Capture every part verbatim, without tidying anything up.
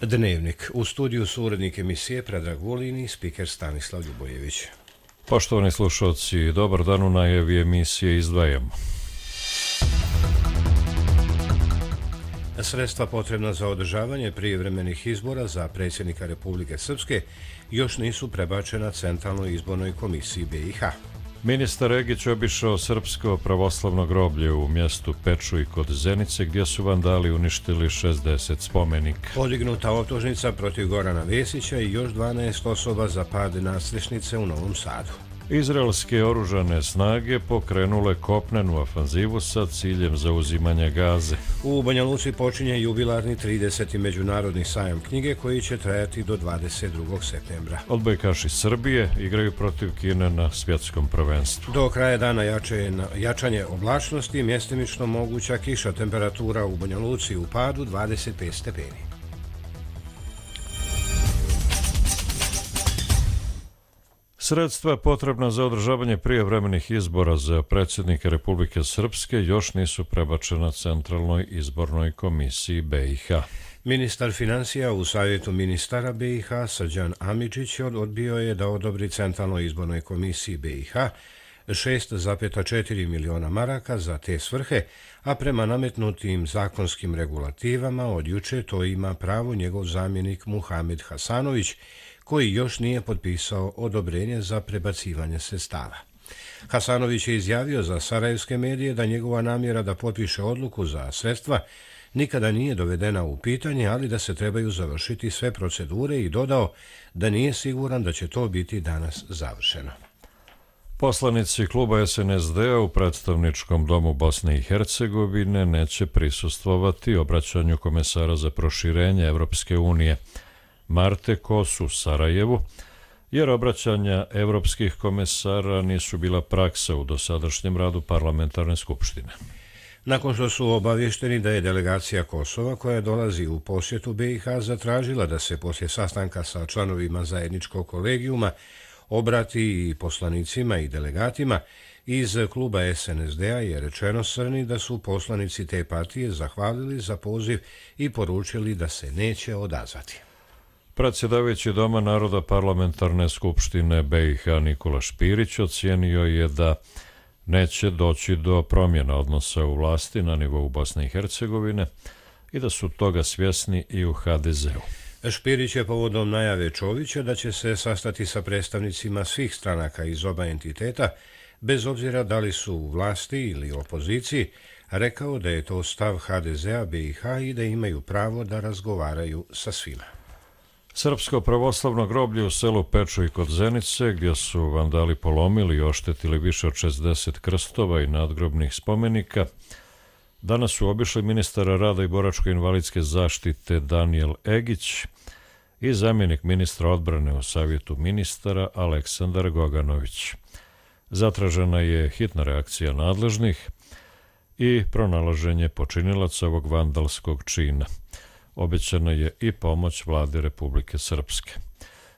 Dnevnik. U studiju su urednik emisije Predrag Vulin i spiker Stanislav Ljubojević. Poštovani slušalci, dobar dan, u najavi emisije izdvajamo. Sredstva potrebna za održavanje prijevremenih izbora za predsjednika Republike Srpske još nisu prebačena Centralnoj izbornoj komisiji B i H. Ministar Egić obišao srpsko pravoslavno groblje u mjestu Pečuj kod Zenice, gdje su vandali uništili šezdeset spomenika. Podignuta optužnica protiv Gorana Vesića i još dvanaest osoba za pad nadstrešnice u Novom Sadu. Izraelske oružane snage pokrenule kopnenu ofanzivu sa ciljem zauzimanja Gaze. U Banja Luci počinje jubilarni trideseti međunarodni sajam knjige koji će trajati do dvadeset drugog septembra. Odbojkaši Srbije igraju protiv Kine na svjetskom prvenstvu. Do kraja dana jače, jačanje oblačnosti, mjestimično moguća kiša, temperatura u Banja Luci u padu dvadeset pet stepeni. Sredstva potrebna za održavanje prijevremenih izbora za predsjednika Republike Srpske još nisu prebačena Centralnoj izbornoj komisiji B i H. Ministar financija u savjetu ministara B i H Srđan Amidžić odbio je da odobri Centralnoj izbornoj komisiji B i H šest zarez četiri miliona maraka za te svrhe, a prema nametnutim zakonskim regulativama od juče to ima pravo njegov zamjenik Muhamed Hasanović, koji još nije potpisao odobrenje za prebacivanje sredstava. Hasanović je izjavio za sarajevske medije da njegova namjera da potpiše odluku za sredstva nikada nije dovedena u pitanje, ali da se trebaju završiti sve procedure i dodao da nije siguran da će to biti danas završeno. Poslanici kluba S N S D-a u predstavničkom domu Bosne i Hercegovine neće prisustvovati obraćanju komesara za proširenje Evropske unije Marte Kos u Sarajevu, jer obraćanja evropskih komesara nisu bila praksa u dosadašnjem radu parlamentarne skupštine. Nakon što su obavješteni da je delegacija Kosova, koja dolazi u posjetu B i H, zatražila da se poslije sastanka sa članovima zajedničkog kolegijuma obrati i poslanicima i delegatima, iz kluba S N S D-a je rečeno Srni da su poslanici te partije zahvalili za poziv i poručili da se neće odazvati. Predsjedavajući Doma naroda parlamentarne skupštine B i H Nikola Špirić ocijenio je da neće doći do promjena odnosa u vlasti na nivou Bosne i Hercegovine i da su toga svjesni i u H D Z-u. Špirić je povodom najave Čovića da će se sastati sa predstavnicima svih stranaka iz oba entiteta, bez obzira da li su u vlasti ili opoziciji, rekao da je to stav H D Z-a B i H i da imaju pravo da razgovaraju sa svima. Srpsko pravoslavno groblje u selu Pečuj kod Zenice, gdje su vandali polomili i oštetili više od šezdeset krstova i nadgrobnih spomenika, danas su obišli ministara rada i boračko-invalidske zaštite Danijel Egić i zamjenik ministra odbrane u savjetu ministara Aleksandar Goganović. Zatražena je hitna reakcija nadležnih i pronalaženje počinilaca ovog vandalskog čina. Obećana je i pomoć vlade Republike Srpske,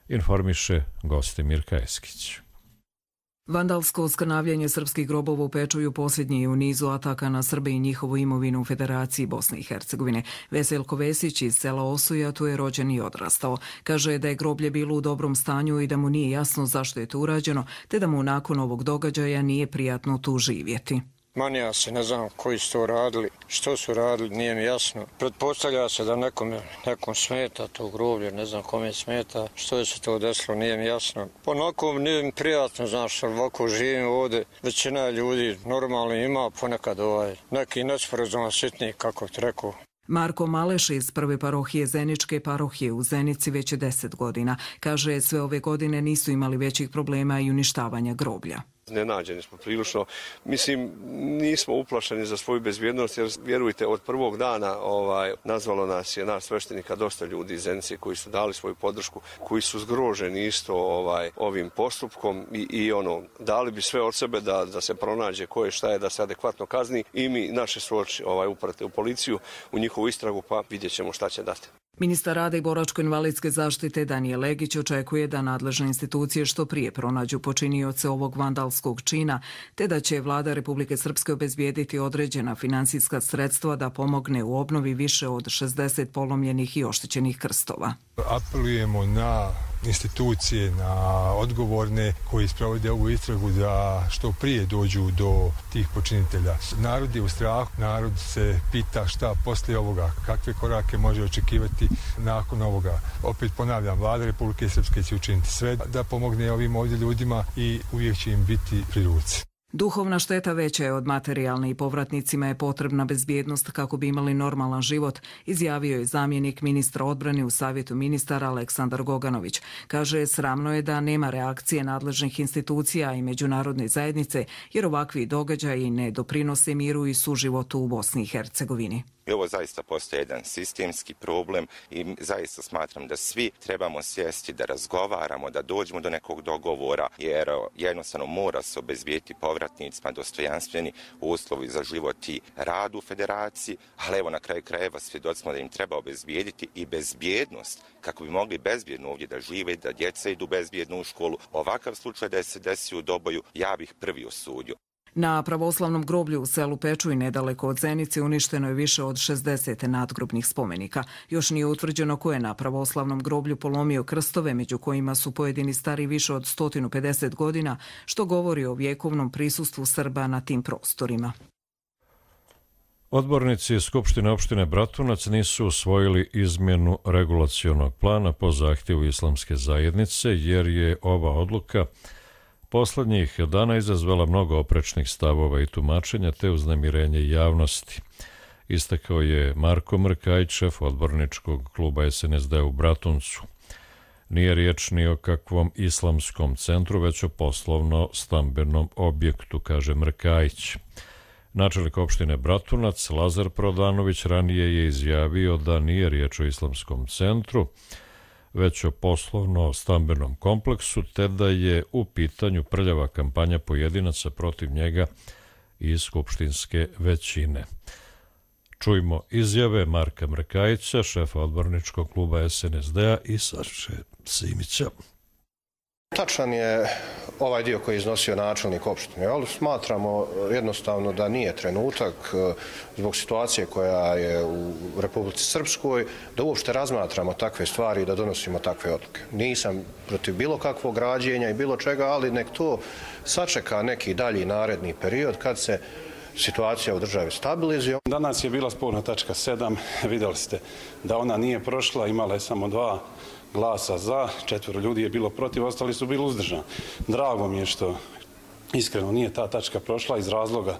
informiše Gostimir Kajeskić. Vandalsko skrnavljanje srpskih grobova u Pečuju posljednji je u nizu ataka na Srbe i njihovu imovinu u Federaciji Bosne i Hercegovine. Veselko Vesić iz sela Osuja tu je rođen i odrastao. Kaže da je groblje bilo u dobrom stanju i da mu nije jasno zašto je to urađeno, te da mu nakon ovog događaja nije prijatno tu živjeti. Manija se, ne znam koji su to radili, što su radili, nije mi jasno. Pretpostavlja se da nekom, nekom smeta to groblje, ne znam kome smeta, što je se to desilo, nije mi jasno. Onako nije mi prijatno, znaš, ovako živim ovdje, većina ljudi normalno ima ponekad ovaj, neki nesporazum sitni, kako ti rekao. Marko Maleš iz prve parohije Zeničke parohije u Zenici već je deset godina. Kaže, sve ove godine nisu imali većih problema i uništavanja groblja. Iznenađeni smo prilično. Mislim, nismo uplašeni za svoju bezbjednost, jer vjerujte, od prvog dana ovaj, nazvalo nas je naš sveštenika dosta ljudi iz Zenice koji su dali svoju podršku, koji su zgroženi isto ovaj, ovim postupkom i, i ono, dali bi sve od sebe da, da se pronađe ko je šta je, da se adekvatno kazni i mi naše svoči ovaj, uprate u policiju, u njihovu istragu, pa vidjet ćemo šta će dati. Ministar rada i boračko-invalidske zaštite Danijel Legić očekuje da nadležne institucije što prije pronađu počinioce ovog vandalskog čina, te da će vlada Republike Srpske obezbijediti određena finansijska sredstva da pomogne u obnovi više od šezdeset polomljenih i oštećenih krstova. Apelujemo na institucije, na odgovorne koji sprovode ovu istragu da što prije dođu do tih počinitelja. Narod je u strahu, narod se pita šta poslije ovoga, kakve korake može očekivati nakon ovoga. Opet ponavljam, vlada Republike Srpske će učiniti sve da pomogne ovim ovdje ljudima i uvijek će im biti pri ruci. Duhovna šteta veća je od materijalne i povratnicima je potrebna bezbjednost kako bi imali normalan život, izjavio je zamjenik ministra odbrane u Savjetu ministara Aleksandar Goganović. Kaže, sramno je da nema reakcije nadležnih institucija i međunarodne zajednice, jer ovakvi događaji ne doprinose miru i suživotu u Bosni i Hercegovini. I ovo zaista postoji jedan sistemski problem i zaista smatram da svi trebamo sjesti, da razgovaramo, da dođemo do nekog dogovora, jer jednostavno mora se obezbijeti povratnicima dostojanstveni uslovi za život i rad u federaciji, ali evo na kraju krajeva svjedoci smo da im treba obezbijediti i bezbjednost kako bi mogli bezbjedno ovdje da žive, da djeca idu bezbjedno u školu. Ovakav slučaj da se desi u Doboju, ja bih prvi osudio. Na pravoslavnom groblju u selu Pečuj nedaleko od Zenice uništeno je više od šezdeset nadgrobnih spomenika. Još nije utvrđeno ko je na pravoslavnom groblju polomio krstove, među kojima su pojedini stari više od sto pedeset godina, što govori o vjekovnom prisustvu Srba na tim prostorima. Odbornici Skupštine opštine Bratunac nisu usvojili izmjenu regulacionog plana po zahtjevu Islamske zajednice, jer je ova odluka poslednjih dana izazvala mnogo oprečnih stavova i tumačenja te uznemirenje javnosti. Istakao je Marko Mrkajić, šef odborničkog kluba es en es de u Bratuncu. Nije riječ ni o kakvom islamskom centru, već o poslovno-stambenom objektu, kaže Mrkajić. Načelnik opštine Bratunac, Lazar Prodanović, ranije je izjavio da nije riječ o islamskom centru, već o poslovno-stambenom kompleksu, te da je u pitanju prljava kampanja pojedinaca protiv njega i skupštinske većine. Čujmo izjave Marka Mrkajića, šefa odborničkog kluba es en es de a i Saše Simića. Tačan je ovaj dio koji je iznosio načelnik opštine, ali smatramo jednostavno da nije trenutak zbog situacije koja je u Republici Srpskoj da uopšte razmatramo takve stvari i da donosimo takve odluke. Nisam protiv bilo kakvog građenja i bilo čega, ali nek to sačeka neki dalji naredni period kad se situacija u državi stabilizuje. Danas je bila sporna tačka sedam, vidjeli ste da ona nije prošla, imala je samo dva glasa za, četvero ljudi je bilo protiv, ostali su bili uzdržani. Drago mi je što iskreno nije ta tačka prošla iz razloga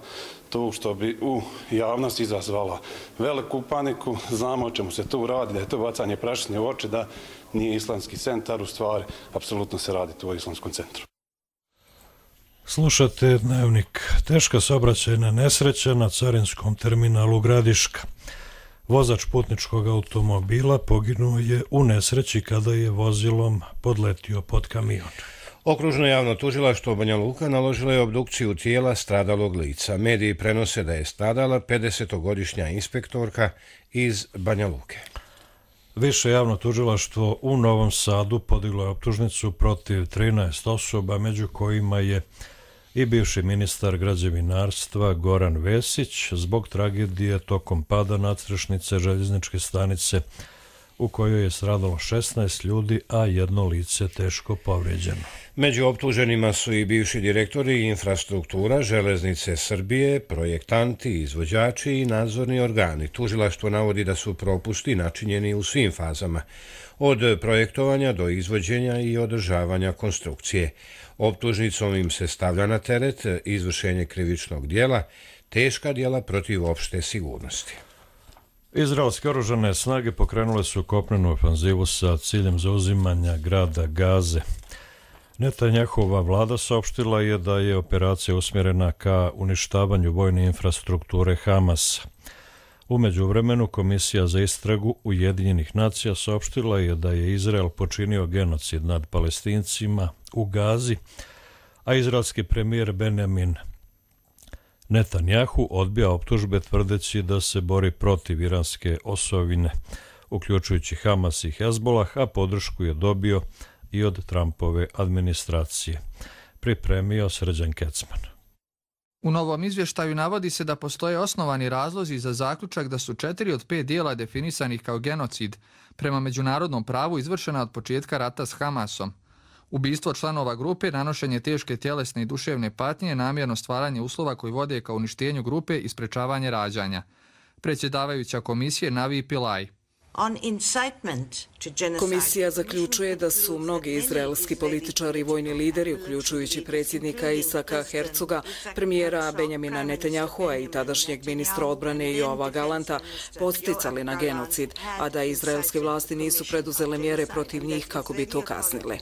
tu što bi u javnosti izazvala veliku paniku. Znamo o čemu se tu radi, da je to bacanje prašine u oči, da nije islamski centar, u stvari apsolutno se radi tu o islamskom centru. Slušate Dnevnik. Teška saobraćajna nesreća na carinskom terminalu Gradiška. Vozač putničkog automobila poginuo je u nesreći kada je vozilom podletio pod kamion. Okružno javno tužilaštvo Banja Luka naložilo je obdukciju tijela stradalog lica. Mediji prenose da je stradala pedesetogodišnja inspektorka iz Banja Luke. Više javno tužilaštvo u Novom Sadu podiglo je optužnicu protiv trinaest osoba, među kojima je i bivši ministar građevinarstva Goran Vesić zbog tragedije tokom pada nadstrešnice željezničke stanice u kojoj je stradalo šesnaest ljudi, a jedno lice teško povrijeđeno. Među optuženima su i bivši direktori infrastruktura, Železnice Srbije, projektanti, izvođači i nadzorni organi. Tužilaštvo navodi da su propusti načinjeni u svim fazama, od projektovanja do izvođenja i održavanja konstrukcije. Optužnicom im se stavlja na teret izvršenje krivičnog dijela, teška dijela protiv opšte sigurnosti. Izraelske oružane snage pokrenule su kopnenu ofanzivu sa ciljem zauzimanja grada Gaze. Netanjahova vlada saopštila je da je operacija usmjerena ka uništavanju vojne infrastrukture Hamasa. U međuvremenu Komisija za istragu Ujedinjenih nacija saopštila je da je Izrael počinio genocid nad Palestincima u Gazi, a izraelski premijer Benjamin Netanjahu odbija optužbe tvrdeći da se bori protiv iranske osovine uključujući Hamas i Hezbolah, a podršku je dobio i od Trumpove administracije. Pripremio Srđan Kecman. U novom izvještaju navodi se da postoje osnovani razlozi za zaključak da su četiri od pet dijela definisanih kao genocid prema međunarodnom pravu izvršena od početka rata s Hamasom. Ubistvo članova grupe, nanošenje teške tjelesne i duševne patnje, namjerno stvaranje uslova koji vode ka uništenju grupe i sprečavanje rađanja. Predsjedavajuća komisije Navi Pillay. Komisija zaključuje da su mnogi izraelski političari i vojni lideri, uključujući predsjednika Isaka Hercoga, premijera Benjamina Netanjahua i tadašnjeg ministra odbrane Joava Galanta, podsticali na genocid, a da izraelske vlasti nisu preduzele mjere protiv njih kako bi to kaznile.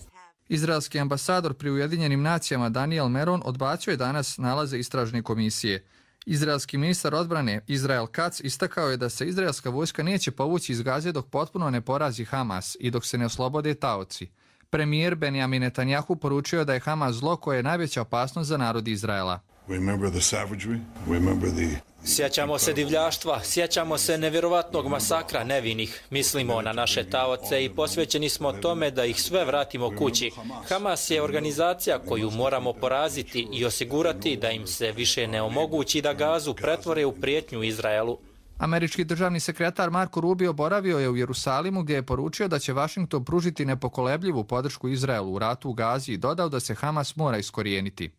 Izraelski ambasador pri Ujedinjenim nacijama Daniel Meron odbacio je danas nalaze istražne komisije. Izraelski ministar odbrane Israel Katz istakao je da se izraelska vojska neće povući iz Gaze dok potpuno ne porazi Hamas i dok se ne oslobode taoci. Premijer Benjamin Netanjahu poručio da je Hamas zlo koje je najveća opasnost za narod Izraela. Sjećamo se divljaštva, sjećamo se nevjerovatnog masakra nevinih, mislimo na naše taoce i posvećeni smo tome da ih sve vratimo kući. Hamas je organizacija koju moramo poraziti i osigurati da im se više ne omogući da Gazu pretvore u prijetnju Izraelu. Američki državni sekretar Marco Rubio boravio je u Jerusalimu gdje je poručio da će Vašington pružiti nepokolebljivu podršku Izraelu u ratu u Gazi i dodao da se Hamas mora iskorijeniti.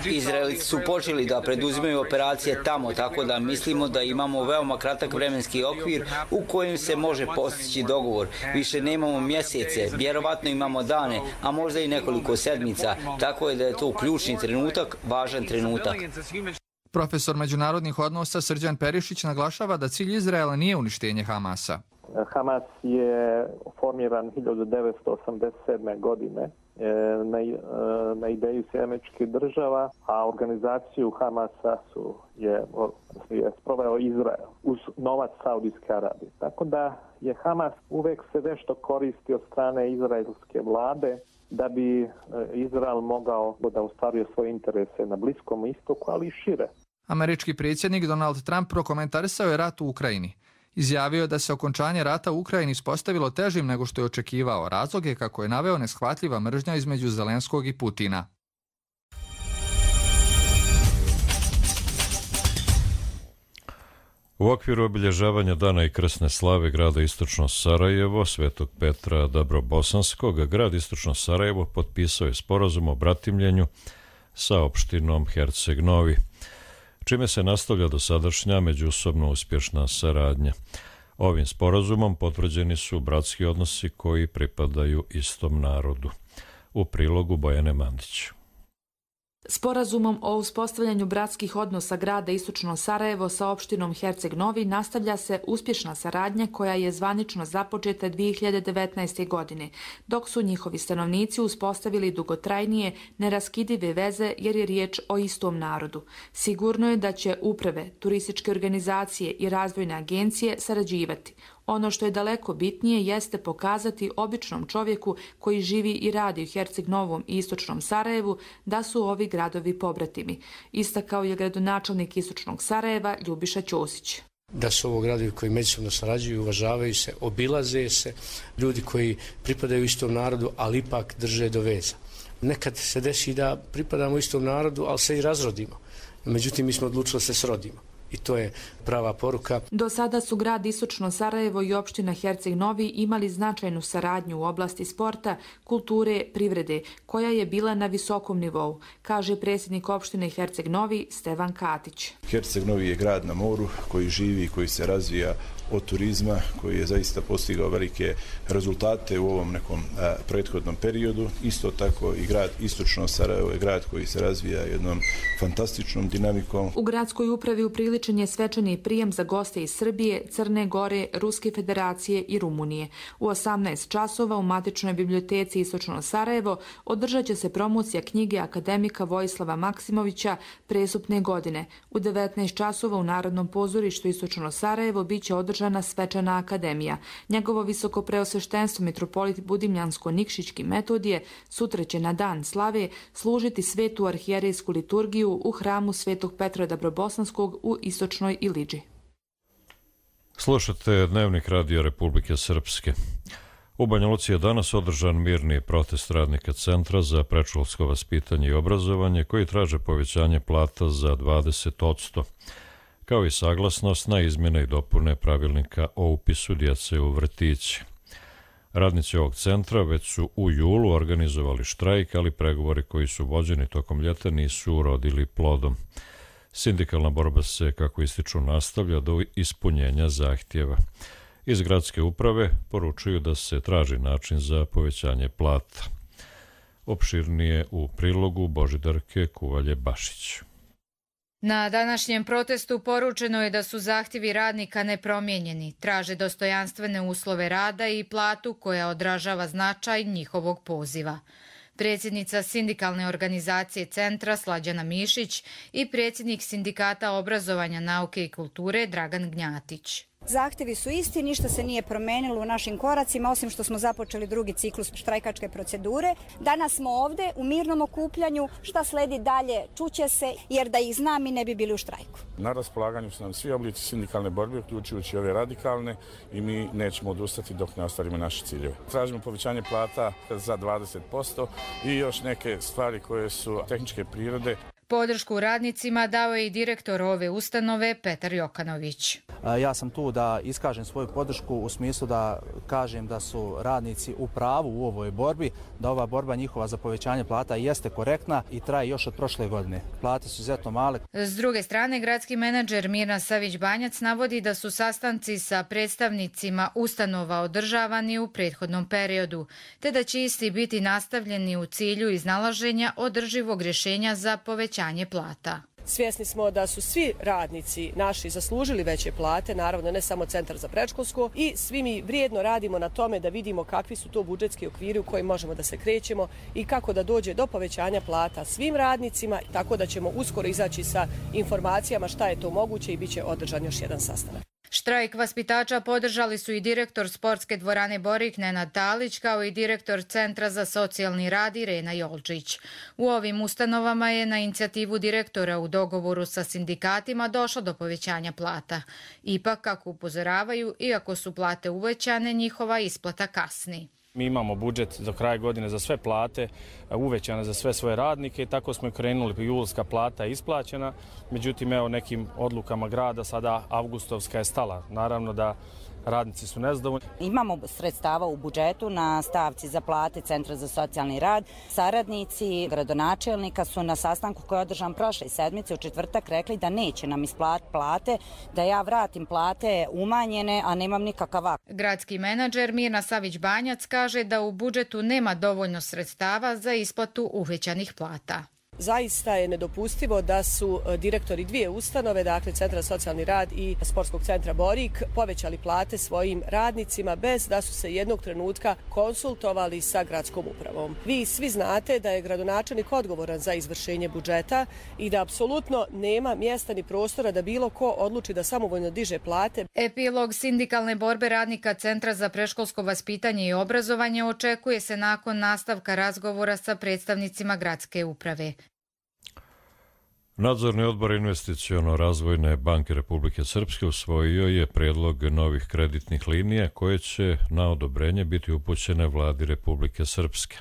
Izraelci su počeli da preduzimaju operacije tamo, tako da mislimo da imamo veoma kratak vremenski okvir u kojem se može postići dogovor. Više nemamo mjesece, vjerovatno imamo dane, a možda i nekoliko sedmica, tako je da je to ključni trenutak, važan trenutak. Profesor međunarodnih odnosa Srđan Perišić naglašava da cilj Izraela nije uništenje Hamasa. Hamas je formiran hiljadu devetsto osamdeset sedme. godine na, na ideju Sjedinjenih Država, a organizaciju Hamasa su je, je sproveo Izrael uz novac Saudijske Arabije. Tako da je Hamas uvek se nešto koristi od strane izraelske vlade da bi Izrael mogao da ostvaruje svoje interese na Bliskom istoku, ali i šire. Američki predsjednik Donald Trump prokomentarisao je rat u Ukrajini. Izjavio je da se okončanje rata u Ukrajini ispostavilo težim nego što je očekivao. Razlog je, kako je naveo, neshvatljiva mržnja između Zelenskog i Putina. U okviru obilježavanja Dana i krsne slave grada Istočno Sarajevo, Svetog Petra Dabrobosanskog, grad Istočno Sarajevo potpisao je sporazum o bratimljenju sa opštinom Herceg Novi, čime se nastavlja dosadašnja međusobno uspješna saradnja. Ovim sporazumom potvrđeni su bratski odnosi koji pripadaju istom narodu. U prilogu Bojane Mandić. Sporazumom o uspostavljanju bratskih odnosa grada Istočno Sarajevo sa opštinom Herceg Novi nastavlja se uspješna saradnja koja je zvanično započeta dvije hiljade devetnaeste. godine, dok su njihovi stanovnici uspostavili dugotrajnije, neraskidive veze jer je riječ o istom narodu. Sigurno je da će uprave, turističke organizacije i razvojne agencije sarađivati. Ono što je daleko bitnije jeste pokazati običnom čovjeku koji živi i radi u Herceg Novom i Istočnom Sarajevu da su ovi gradovi pobratimi, istakao je gradonačelnik Istočnog Sarajeva Ljubiša Ćosić. Da su ovo gradovi koji međusobno sarađuju, uvažavaju se, obilaze se, ljudi koji pripadaju istom narodu, ali ipak drže do veza. Nekad se desi da pripadamo istom narodu, ali se i razrodimo. Međutim, mi smo odlučili da se srodimo. I to je prava poruka. Do sada su grad Istočno Sarajevo i opština Herceg Novi imali značajnu saradnju u oblasti sporta, kulture, privrede, koja je bila na visokom nivou, kaže predsjednik opštine Herceg Novi Stevan Katić. Herceg Novi je grad na moru koji živi i koji se razvija od turizma, koji je zaista postigao velike rezultate u ovom nekom a, prethodnom periodu. Isto tako i grad Istočno Sarajevo je grad koji se razvija jednom fantastičnom dinamikom. U gradskoj upravi upriličen je svečani prijem za goste iz Srbije, Crne Gore, Ruske Federacije i Rumunije. U osamnaest časova u matičnoj biblioteci Istočno Sarajevo održat će se promocija knjige akademika Vojislava Maksimovića Presupne godine. U devetnaest časova u Narodnom pozorištu Istočno Sarajevo biće održana svečana akademija. Njegovo visoko preosveštenstvo mitropolit Budimljansko-Nikšićki Metodije sutra će na dan slave služiti svetu arhijerejsku liturgiju u hramu Svetog Petra Dabrobosanskog u Istočnoj Iliđi. Slušate Dnevnik Radio Republike Srpske. U Banja Luci je danas održan mirni protest radnika Centra za predškolsko vaspitanje i obrazovanje koji traže povećanje plata za dvadeset posto, kao i saglasnost na izmjene i dopune pravilnika o upisu djece u vrtiće. Radnici ovog centra već su u julu organizovali štrajk, ali pregovori koji su vođeni tokom ljeta nisu urodili plodom. Sindikalna borba se, kako ističu, nastavlja do ispunjenja zahtjeva. Iz gradske uprave poručuju da se traži način za povećanje plata. Opširnije u prilogu Božidarke Kuvalje-Bašić. Na današnjem protestu poručeno je da su zahtjevi radnika nepromijenjeni, traže dostojanstvene uslove rada i platu koja odražava značaj njihovog poziva. Predsjednica sindikalne organizacije Centra Slađana Mišić i predsjednik sindikata obrazovanja, nauke i kulture Dragan Gnjatić. Zahtjevi su isti, ništa se nije promenilo u našim koracima, osim što smo započeli drugi ciklus štrajkačke procedure. Danas smo ovdje u mirnom okupljanju, šta sledi dalje čuće se, jer da ih znam mi ne bi bili u štrajku. Na raspolaganju su nam svi oblici sindikalne borbe, uključujući ove radikalne, i mi nećemo odustati dok ne ostvarimo naše ciljeve. Tražimo povećanje plata za dvadeset posto i još neke stvari koje su tehničke prirode. Podršku radnicima dao je i direktor ove ustanove Petar Jokanović. Ja sam tu da iskažem svoju podršku u smislu da kažem da su radnici u pravu u ovoj borbi, da ova borba njihova za povećanje plata jeste korektna i traje još od prošle godine. Plate su izuzetno male. S druge strane, gradski menadžer Mirna Savić-Banjac navodi da su sastanci sa predstavnicima ustanova održavani u prethodnom periodu, te da će isti biti nastavljeni u cilju iznalaženja održivog rješenja za povećanje plata. Svjesni smo da su svi radnici naši zaslužili veće plate, naravno ne samo Centar za predškolsko, i svi mi vrijedno radimo na tome da vidimo kakvi su to budžetski okviri u kojim možemo da se krećemo i kako da dođe do povećanja plata svim radnicima, tako da ćemo uskoro izaći sa informacijama šta je to moguće i bit će održan još jedan sastanak. Štrajk vaspitača podržali su i direktor sportske dvorane Borik Nenad Talić, kao i direktor Centra za socijalni rad Irena Jolčić. U ovim ustanovama je na inicijativu direktora u dogovoru sa sindikatima došlo do povećanja plata. Ipak, kako upozoravaju, iako su plate uvećane, njihova isplata kasni. Mi imamo budžet do kraja godine za sve plate, uvećane za sve svoje radnike i tako smo i krenuli, julska plata je isplaćena, međutim evo nekim odlukama grada sada avgustovska je stala. Naravno da radnici su nezadovoljni. Imamo sredstava u budžetu na stavci za plate Centra za socijalni rad. Saradnici gradonačelnika su na sastanku koji je održan prošle sedmice u četvrtak rekli da neće nam isplatiti plate, da ja vratim plate umanjene, a nemam nikakav akt. Gradski menadžer Mirna Savić-Banjac kaže da u budžetu nema dovoljno sredstava za isplatu uvećanih plata. Zaista je nedopustivo da su direktori dvije ustanove, dakle Centra za socijalni rad i Sportskog centra Borik, povećali plate svojim radnicima bez da su se jednog trenutka konsultovali sa gradskom upravom. Vi svi znate da je gradonačelnik odgovoran za izvršenje budžeta i da apsolutno nema mjesta ni prostora da bilo ko odluči da samovoljno diže plate. Epilog sindikalne borbe radnika Centra za predškolsko vaspitanje i obrazovanje očekuje se nakon nastavka razgovora sa predstavnicima gradske uprave. Nadzorni odbor Investiciono-razvojne banke Republike Srpske usvojio je predlog novih kreditnih linija koje će na odobrenje biti upućene vladi Republike Srpske.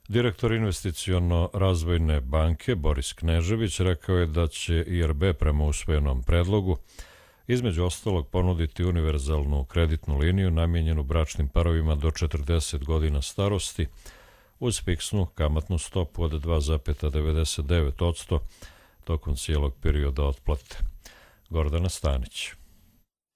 Direktor Investiciono-razvojne banke Boris Knežević rekao je da će I R B prema usvojenom predlogu između ostalog ponuditi univerzalnu kreditnu liniju namijenjenu bračnim parovima do četrdeset godina starosti, uz fiksnu kamatnu stopu od dva zarez devedeset devet posto tokom cijelog perioda otplate. Gordana Stanić.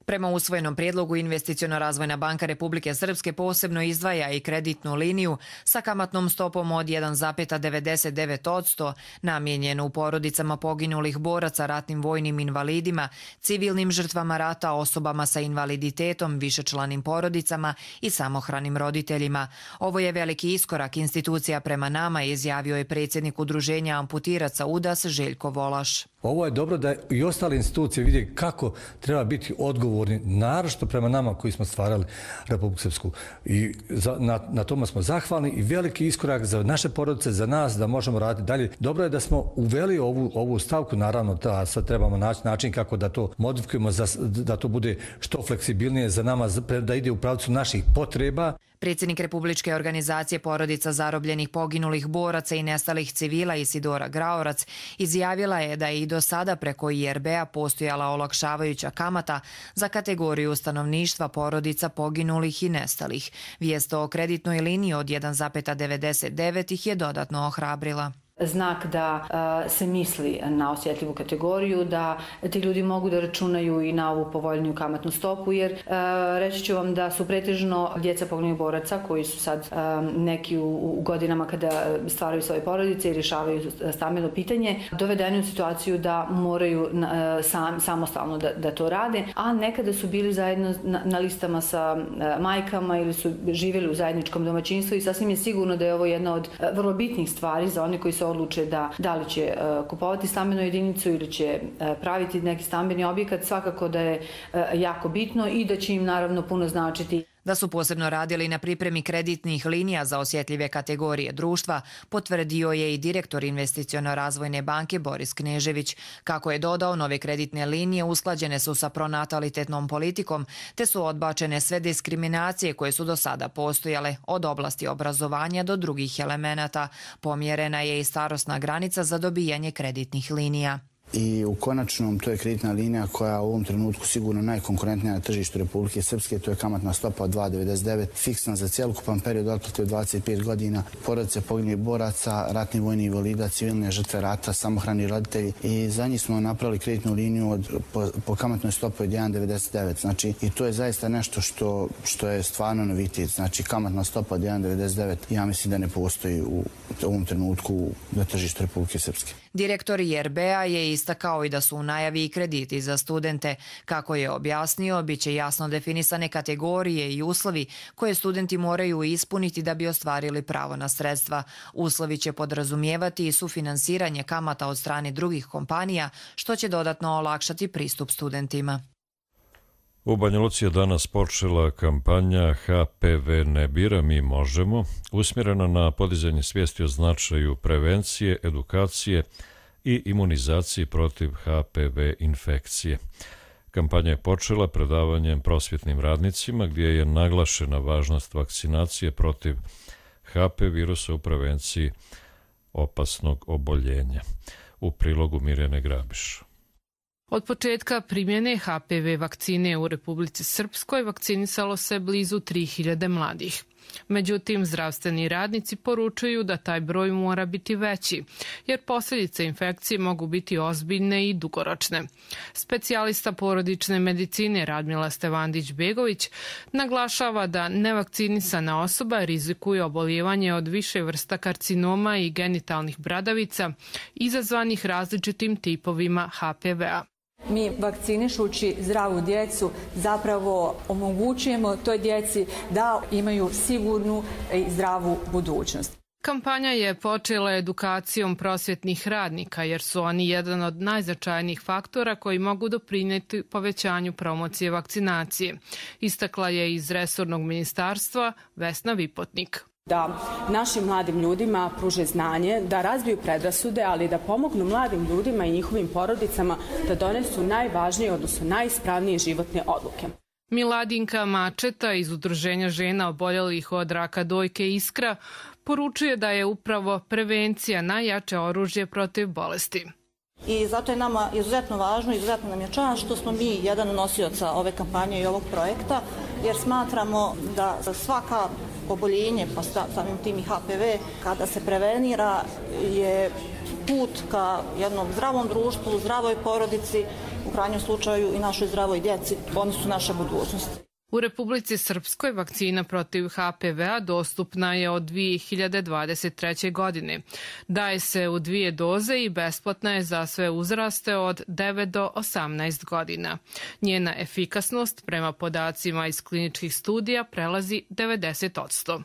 Prema usvojenom prijedlogu Investiciono-razvojna banka Republike Srpske posebno izdvaja i kreditnu liniju sa kamatnom stopom od jedan zarez devedeset devet posto namijenjenu porodicama poginulih boraca, ratnim vojnim invalidima, civilnim žrtvama rata, osobama sa invaliditetom, višečlanim porodicama i samohranim roditeljima. Ovo je veliki iskorak institucija prema nama, izjavio je predsjednik udruženja amputiraca U D A S Željko Volaš. Ovo je dobro da i ostale institucije vide kako treba biti odgovor odgovorni, naročito prema nama koji smo stvarali Republiku Srpsku. I za, na, na tome smo zahvalni i veliki iskorak za naše porodice, za nas da možemo raditi dalje. Dobro je da smo uveli ovu, ovu stavku, naravno da sad trebamo naći način kako da to modifikujemo, za, da to bude što fleksibilnije za nama, da ide u pravcu naših potreba. Predsjednik Republičke organizacije porodica zarobljenih, poginulih boraca i nestalih civila Isidora Graorac izjavila je da je i do sada preko I R B-a postojala olakšavajuća kamata za kategoriju stanovništva porodica poginulih i nestalih. Vijest o kreditnoj liniji od jedan zarez devedeset devet ih je dodatno ohrabrila. Znak da uh, se misli na osjetljivu kategoriju, da ti ljudi mogu da računaju i na ovu povoljniju kamatnu stopu, jer uh, reći ću vam da su pretežno djeca poginulih boraca koji su sad um, neki u, u godinama kada stvaraju svoje porodice i rješavaju stambeno pitanje, dovedeni u situaciju da moraju uh, sam, samostalno da, da to rade, a nekada su bili zajedno na, na listama sa uh, majkama ili su živjeli u zajedničkom domaćinstvu i sasvim je sigurno da je ovo jedna od uh, vrlo bitnih stvari za one koji se odluče da, da li će uh, kupovati stambenu jedinicu ili će uh, praviti neki stambeni objekat, svakako da je uh, jako bitno i da će im naravno puno značiti. Da su posebno radili na pripremi kreditnih linija za osjetljive kategorije društva, potvrdio je i direktor Investiciono-razvojne banke Boris Knežević. Kako je dodao, nove kreditne linije usklađene su sa pronatalitetnom politikom, te su odbačene sve diskriminacije koje su do sada postojale, od oblasti obrazovanja do drugih elemenata. Pomjerena je i starosna granica za dobijanje kreditnih linija. I u konačnom to je kreditna linija koja u ovom trenutku sigurno najkonkurentnija na tržištu Republike Srpske, to je kamatna stopa od dva zarez devedeset devet, fiksna za cjelokupan period otplate od dvadeset pet godina, porodice poginulih boraca, ratni vojni invalida, civilne žrtve rata, samohrani roditelji i za njih smo napravili kreditnu liniju od, po, po kamatnoj stopi od jedan zarez devedeset devet. Znači i to je zaista nešto što, što je stvarno novitet. Znači kamatna stopa od jedan zarez devedeset devet ja mislim da ne postoji u ovom trenutku na tržištu Republike Srpske. Direktor I R B-a je istakao i da su u najavi i krediti za studente. Kako je objasnio, bit će jasno definisane kategorije i uslovi koje studenti moraju ispuniti da bi ostvarili pravo na sredstva. Uslovi će podrazumijevati i sufinansiranje kamata od strane drugih kompanija, što će dodatno olakšati pristup studentima. U Banja Luci je danas počela kampanja H P V ne bira, mi možemo, usmjerena na podizanje svijesti o značaju prevencije, edukacije i imunizacije protiv H P V infekcije. Kampanja je počela predavanjem prosvjetnim radnicima gdje je naglašena važnost vakcinacije protiv H P V virusa u prevenciji opasnog oboljenja. U prilogu Mirjane Grabiš. Od početka primjene H P V vakcine u Republici Srpskoj vakcinisalo se blizu tri hiljade mladih. Međutim, zdravstveni radnici poručuju da taj broj mora biti veći, jer posljedice infekcije mogu biti ozbiljne i dugoročne. Specijalista porodične medicine Radmila Stevandić-Begović naglašava da nevakcinisana osoba rizikuje oboljevanje od više vrsta karcinoma i genitalnih bradavica izazvanih različitim tipovima H P V-a. Mi vakcinišući zdravu djecu zapravo omogućujemo toj djeci da imaju sigurnu i zdravu budućnost. Kampanja je počela edukacijom prosvjetnih radnika jer su oni jedan od najznačajnijih faktora koji mogu doprinijeti povećanju promocije vakcinacije, istakla je iz resornog ministarstva Vesna Vipotnik. Da našim mladim ljudima pruže znanje, da razbiju predrasude, ali da pomognu mladim ljudima i njihovim porodicama da donesu najvažnije, odnosno najispravnije životne odluke. Miladinka Mačeta iz Udruženja žena oboljelih od raka dojke Iskra poručuje da je upravo prevencija najjače oružje protiv bolesti. I zato je nama izuzetno važno, izuzetno nam je čast što smo mi jedan od nosioca ove kampanje i ovog projekta, jer smatramo da svaka oboljenje, pa samim tim i H P V, kada se prevenira, je put ka jednom zdravom društvu, zdravoj porodici, u krajnjem slučaju i našoj zdravoj djeci. Oni su naša budućnost. U Republici Srpskoj vakcina protiv H P V-a dostupna je od dvije hiljade dvadeset treće. godine. Daje se u dvije doze i besplatna je za sve uzraste od devet do osamnaest godina. Njena efikasnost prema podacima iz kliničkih studija prelazi devedeset posto.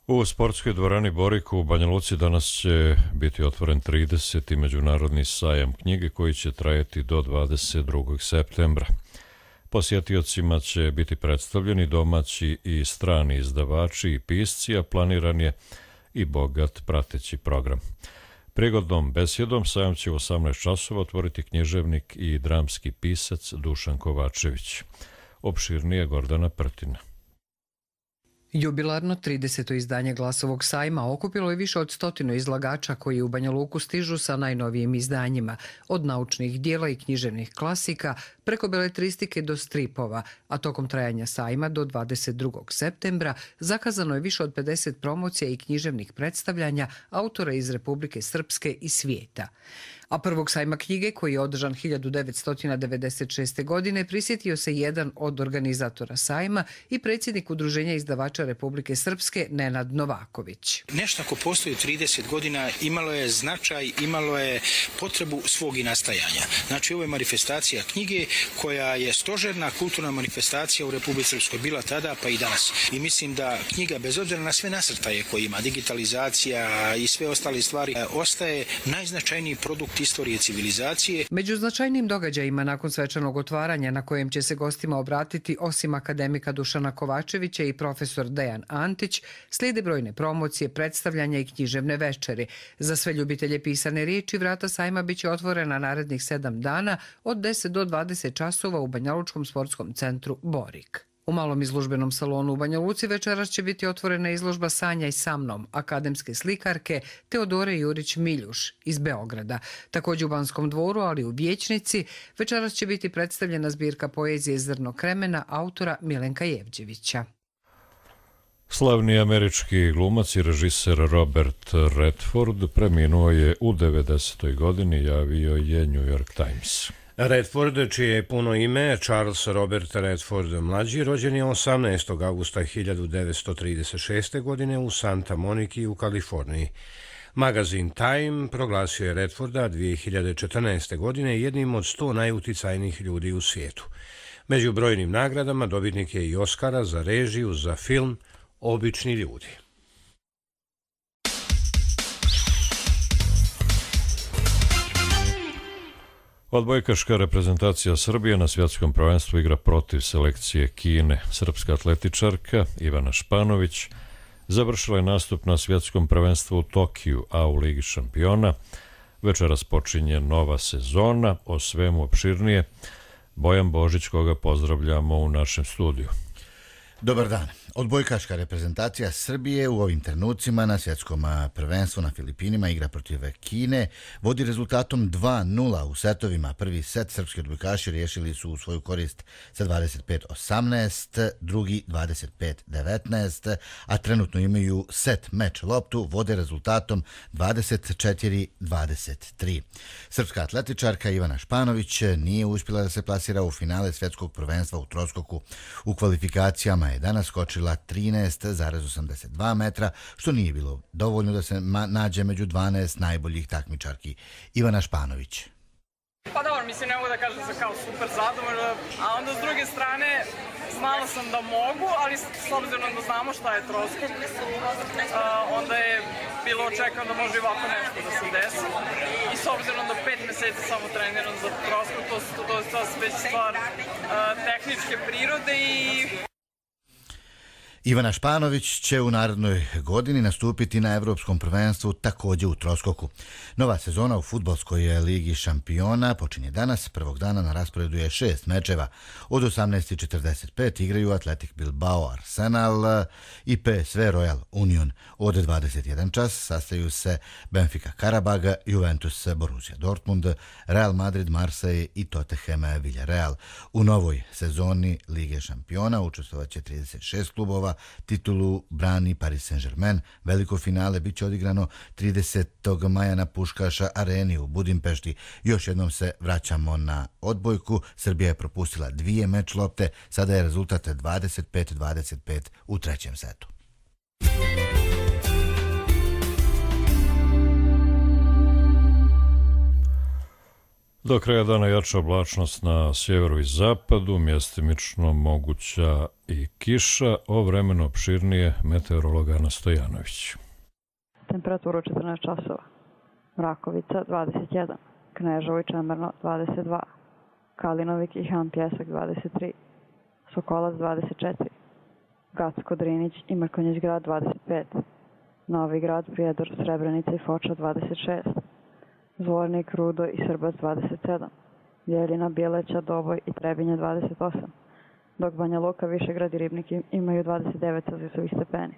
U sportskoj dvorani Boriku u Banja Luci danas će biti otvoren trideseti međunarodni sajam knjige koji će trajati do dvadeset drugog septembra. Posjetiocima će biti predstavljeni domaći i strani izdavači i pisci, a planiran je i bogat prateći program. Prigodnom besjedom sajam će u osamnaest časova otvoriti književnik i dramski pisac Dušan Kovačević. Opširnije Gordana Prtina. Jubilarno trideseto izdanje Glasovog sajma okupilo je više od stotinu izlagača koji u Banja Luku stižu sa najnovijim izdanjima, od naučnih dijela i književnih klasika preko beletristike do stripova, a tokom trajanja sajma do dvadeset drugog septembra zakazano je više od pedeset promocija i književnih predstavljanja autora iz Republike Srpske i svijeta. A prvog sajma knjige, koji je održan hiljadu devetsto devedeset šeste. godine, prisjetio se jedan od organizatora sajma i predsjednik Udruženja izdavača Republike Srpske Nenad Novaković. Nešto ako postoji trideset godina imalo je značaj, imalo je potrebu svog i nastajanja. Znači ovo je manifestacija knjige koja je stožerna kulturna manifestacija u Republici Srpskoj bila tada pa i danas. I mislim da knjiga, bez obzira na sve nasrtaje koje ima, digitalizacija i sve ostale stvari, ostaje najznačajniji produkt istorije civilizacije. Među značajnim događajima nakon svečanog otvaranja, na kojem će se gostima obratiti osim akademika Dušana Kovačevića i profesor Dejan Antić, slijede brojne promocije, predstavljanja i književne večeri. Za sve ljubitelje pisane riječi vrata sajma biće otvorena narednih sedam dana od deset do dvadeset časova u Banjalučkom sportskom centru Borik. U malom izložbenom salonu u Banja Luci večeras će biti otvorena izložba Sanjaj sa mnom, akademske slikarke Teodore Jurić-Miljuš iz Beograda. Također u Banskom dvoru, ali u Vijećnici, večeras će biti predstavljena zbirka poezije Zrno kremena autora Milenka Jevđevića. Slavni američki glumac i režiser Robert Redford preminuo je u devedesetoj godini, javio je New York Times. Redford, čije je puno ime Charles Robert Redford mlađi, rođen je osamnaestog avgusta hiljadu devetsto trideset šeste. godine u Santa Moniki u Kaliforniji. Magazin Time proglasio je Redforda dvije hiljade četrnaeste. godine jednim od sto najuticajnijih ljudi u svijetu. Među brojnim nagradama dobitnik je i Oscara za režiju za film Obični ljudi. Odbojkaška reprezentacija Srbije na svjetskom prvenstvu igra protiv selekcije Kine. Srpska atletičarka Ivana Španović završila je nastup na svjetskom prvenstvu u Tokiju, a u Ligi šampiona večeras počinje nova sezona. O svemu opširnije Bojan Božić, koga pozdravljamo u našem studiju. Dobar dan. Odbojkaška reprezentacija Srbije u ovim trenucima na svjetskom prvenstvu na Filipinima igra protiv Kine. Vodi rezultatom dva nula u setovima. Prvi set srpski odbojkaši riješili su u svoju korist sa dvadeset pet osamnaest, drugi dvadeset pet devetnaest, a trenutno imaju set meč loptu, vode rezultatom dvadeset četiri dvadeset tri. Srpska atletičarka Ivana Španović nije uspjela da se plasira u finale svjetskog prvenstva u troskoku. U kvalifikacijama je danas skočila trinaest zarez osamdeset dva metra, što nije bilo dovoljno da se nađe među dvanaest najboljih takmičarki. Ivana Španović. Pa dobro, mislim, ne mogu da kažem za kao super zadovoljno, a onda s druge strane znala sam da mogu, ali s obzirom da znamo šta je troskok, onda je bilo očekano da može i ovako nešto da se desi. I s obzirom da pet meseci samo treniram za troskok, to, to, to je to već stvar tehničke prirode i... Ivana Španović će u narednoj godini nastupiti na Evropskom prvenstvu također u troskoku. Nova sezona u fudbalskoj ligi šampiona počinje danas. Prvog dana na rasporedu je šest mečeva. Od osamnaest četrdeset pet igraju Athletic Bilbao Arsenal i P S V Royal Union. Od dvadeset jedan čas sastaju se Benfica Karabag, Juventus Borussia Dortmund, Real Madrid Marseille i Tottenham Villarreal. U novoj sezoni Lige šampiona učestvovat će trideset šest klubova. Titulu brani Paris Saint-Germain. Veliko finale bit će odigrano tridesetog maja na Puškaša areni u Budimpešti. Još jednom se vraćamo na odbojku. Srbija je propustila dvije meč lopte. Sada je rezultat dvadeset pet dvadeset pet u trećem setu. Do kraja dana jača oblačnost na sjeveru i zapadu, mjestimično moguća i kiša, o vremenu opširnije meteorolog Ana Stojanović. Temperatura četrnaest časova. Mrakovica dvadeset jedan, Kneževo i Čemerno dvadeset dva, Kalinovik i Han Pjesak dvadeset tri, Sokolac dvadeset četiri, Gacko, Drinić i Mrkonjić grad dvadeset pet, Novi grad, Prijedor, Srebrenica i Foča dvadeset šest, Zvornik, Rudo i Srbac dvadeset sedam, Bjeljina, Bjeleća, Doboj i Trebinje dvadeset osam, dok Banja Luka, Višegrad i Ribnik imaju dvadeset devet celzijusovih stepeni.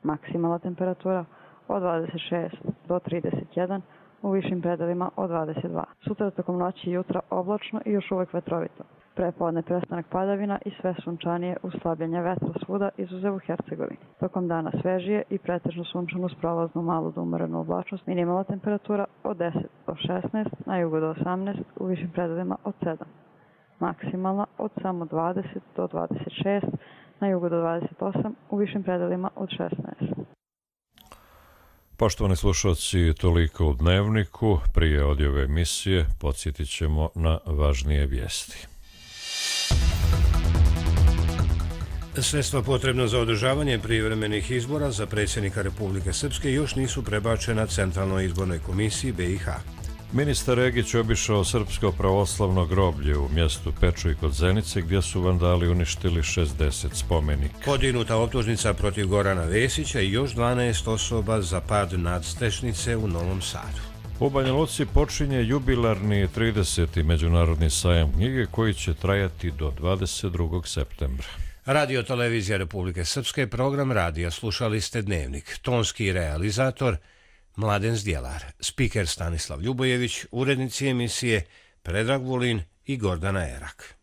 Maksimalna temperatura od dvadeset šest do trideset jedan, u višim predelima od dvadeset dva. Sutra tokom noći i jutra oblačno i još uvek vetrovito. Prepodne prestanak padavina i sve sunčanije uz slabljenje vetra svuda izuzev u Hercegovini. Tokom dana svežije i pretežno sunčano uz prolaznu malu do umorenu oblačnost. Minimalna temperatura od deset do šesnaest, na jugu do osamnaest, u višim predelima od sedam. Maksimalna od samo dvadeset do dvadeset šest, na jugu do dvadeset osam, u višim predelima od šesnaest. Poštovani slušalci, toliko u Dnevniku. Prije odjave emisije podsjetit ćemo na važnije vijesti. Sredstva potrebna za održavanje privremenih izbora za predsjednika Republike Srpske još nisu prebačena Centralnoj izbornoj komisiji B i H. Ministar Egić obišao srpsko pravoslavno groblje u mjestu Pečuj kod Zenice, gdje su vandali uništili šezdeset spomenika. Podignuta optužnica protiv Gorana Vesića i još dvanaest osoba za pad nadstrešnice u Novom Sadu. U Banja Luci počinje jubilarni trideseti međunarodni sajam knjige koji će trajati do dvadeset drugog septembra. Radio Televizija Republike Srpske, program radija, slušali ste Dnevnik. Tonski realizator Mladen Zdjelar, spiker Stanislav Ljubojević, urednici emisije Predrag Vulin i Gordana Erak.